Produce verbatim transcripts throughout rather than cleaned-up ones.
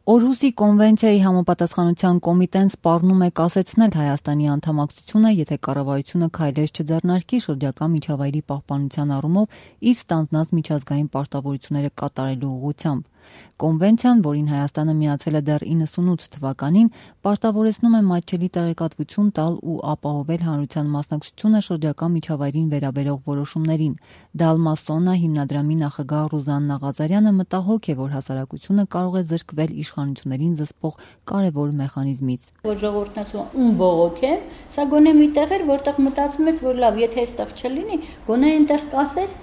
Օրհուսի կոնվենցիայի համապատասխանության կոմիտեն սպառնում է կասեցնել Հայաստանի անդամակցությունը, եթե կառավարությունը քայլեր չձեռնարկի շրջակա միջավայրի պահպանության առումով իր ստանձնած միջազգային պարտավորությունները կատարելու ուղղությամբ։ Կոնվենցիան, որին Հայաստանը միացել է դեռ իննսունութ թվականին, պարտավորեցնում է մատչելի տեղեկատվություն տալ ու ապահովել հանրության մասնակցությունը շրջակա միջավայրին վերաբերող որոշումներին։ Դալմասոնա հիմնադրամի նախագահ Ռուզաննա Ղազարյանը մտահոգ է, որ հասարակությունը կարող է զրկվել իշխանություններին զսպող կարևոր մեխանիզմից։ Որ ժողովուրդն ասում ում բողոք է, սա գոնե մի տեղ էր, որտեղ մտածում ես, որ լավ, եթե այստեղ չլինի, գոնե այնտեղ կասես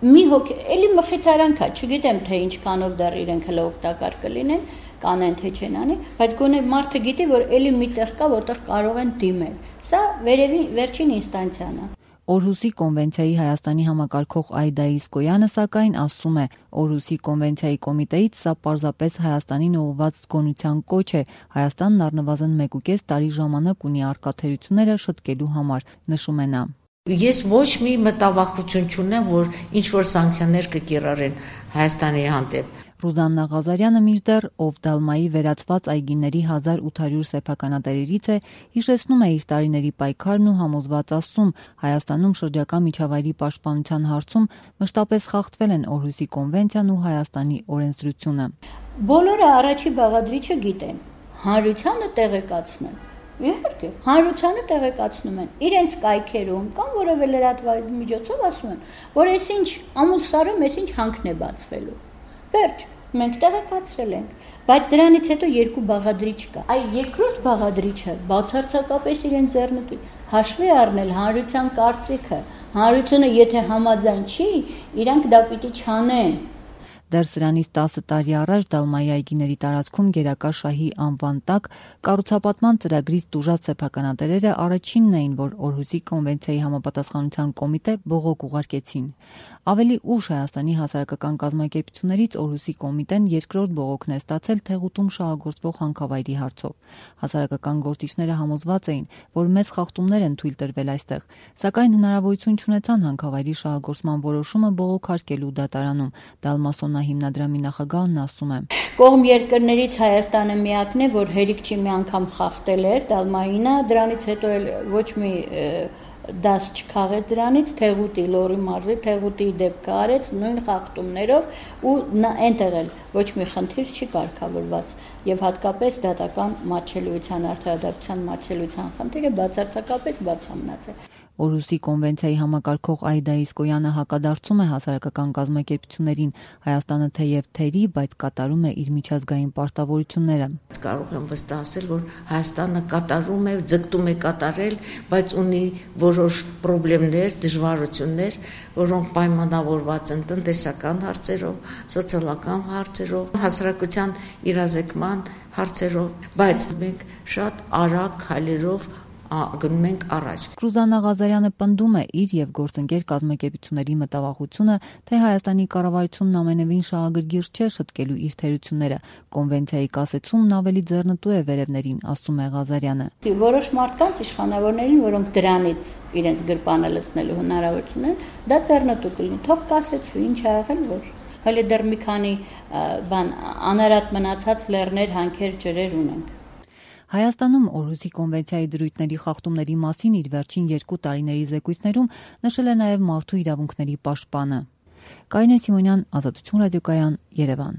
մի հոգի, էլի մխիթարանք է, չգիտեմ թե ինչքանով դեռ իրենք հələ օգտակար կլինեն, կանեն թե չեն անի, բայց գոնե մարդը գիտի, որ էլի մի տեղ կա, որտեղ կարող են դիմել։ Սա վերևի վերջին ինստանցիան է։ Օրհուսի կոնվենցիայի Հայաստանի համակարգող Այդա Իսկոյանը սակայն ասում է, Օրհուսի կոնվենցիայի կոմիտեից սա պարզապես Հայաստանին ուղղված զգոնության կոչ է, Հայաստանն առնվազն մեկուկես տարի ժամանակ ունի առկա թերությունները շտկելու համար, նշում է նա։ Ես ոչ մի մտավախություն չունեմ, որ ինչ-որ սանկցիաներ կկիրառեն Հայաստանի հանդեպ։ Ռուզաննա Ղազարյանը մինչդեռ, ով Դալմայի վերացված այգիների հազար ութ հարյուր սեփականատերերից է, հիշեցնում է իր տարիների պայքարն ու համոզված ասում, Հայաստանում շրջակա միջավայրի պաշտպանության հարցում մշտապես խախտվել են Օրհուսի կոնվենցիան ու Հայաստանի օրենսդրությունը։ Բոլորը առաջի բաղադրիչը գիտեն, հանրությանը տեղեկացնել։ Իհարկե, հանրությանը տեղեկացնում են իրենց կայքերում կամ որևէ լրատվային միջոցով ասում են, որ այսինչ ամուսարում այսինչ հանքն է բացվելու։ Վերջ, մենք տեղեկացրել ենք, բայց դրանից հետո երկու բաղադրիչ կա։ Այ երկրորդ բաղադրիչը բացարձակապես իրեն ձեռնտու հաշվի առնել հանրության կարծիքը, հանրությունը եթե համաձայն չի, իրանք դա պիտի չանեն։ Դեռ սրանից տասը տարի առաջ Դալմայի այգիների տարածքում գերակա շահի անվան տակ կառուցապատման ծրագրից տուժած սեփականատերերը առաջինն էին, որ Օրհուսի կոնվենցիայի համապատասխանության կոմիտե բողոք ուղարկեցին։ Ավելի ուշ Հայաստանի հասարակական կազմակերպություններից Օրհուսի կոմիտեն երկրորդ բողոքն է ստացել Թեղուտում շահագործվող հանքավայրի հարցով։ Հասարակական գործիչները համոզված էին, որ մեծ խախտումներ են թույլ տրվել այստեղ, սակայն հնարավորություն չունեցան հանքավայրի շահագործման որոշումը բողոքարկելու դատարանում։ Դալմասոնա հիմնադրամի նախագահն ասում է. Կողմ երկրներից Հայաստանը միակն է, որ հերիք չի մի անգամ խախտել էր Դալմայինը, դրանից հետո էլ ոչ մի դաս չքաղեց դրանից, Թեղուտի Լոռի մարզի Թեղուտի դեպքը արեց նույն խախտումներով ու այնտեղ էլ ոչ մի խնդիր չի կարգավորված եւ հատկապես դատական մատչելիության արդարադատության մատչելիության խնդիրը բացարձակապես բացամնաց է։ Օրհուսի կոնվենցիայի համակարգող Այդա Իսկոյանը հակադարձում է հասարակական կազմակերպություններին, Հայաստանը թեև թերի, բայց կատարում է իր միջազգային պարտավորությունները։ Կարող եմ վստահել, որ Հայաստանը կատարում է, ձգտում է կատարել, բայց ունի որոշ խնդիրներ, դժվարություններ, որոնք պայմանավորված են տնտեսական հարցերով, սոցիալական հարցերով, հասարակության իրազեկման հարցերով, բայց մենք շատ արագ քայլերով գնում ենք առաջ։ Ռուզաննա Ղազարյանը պնդում է իր եւ գործընկեր կազմակերպությունների մտավախությունը, թե Հայաստանի կառավարությունն ամենևին շահագրգիռ չէ շտկելու իր թերությունները։ Կոնվենցիայի կասեցումն ավելի ձեռնտու է վերևներին, ասում է Ղազարյանը։ Որոշ մարդկանց իշխանավորներին, որոնք դրանից իրենց գրպանը լցնելու հնարավորություն են, դա ձեռնտու կլինի։ Թող կասեցվի, ինչ ա եղել, որ հələ դեռ մի քանի բան անարատ մնացած լեռներ, հանքեր, ջրեր ունենք։ Հայաստանում Օրհուսի կոնվենցիայի դրույթների խախտումների մասին իր վերջին երկու տարիների զեկույցներում նշել է նաև մարդու իրավունքների պաշտպանը։ Կարինե Սիմոնյան, Ազատություն ռադիոկայան, Երևան։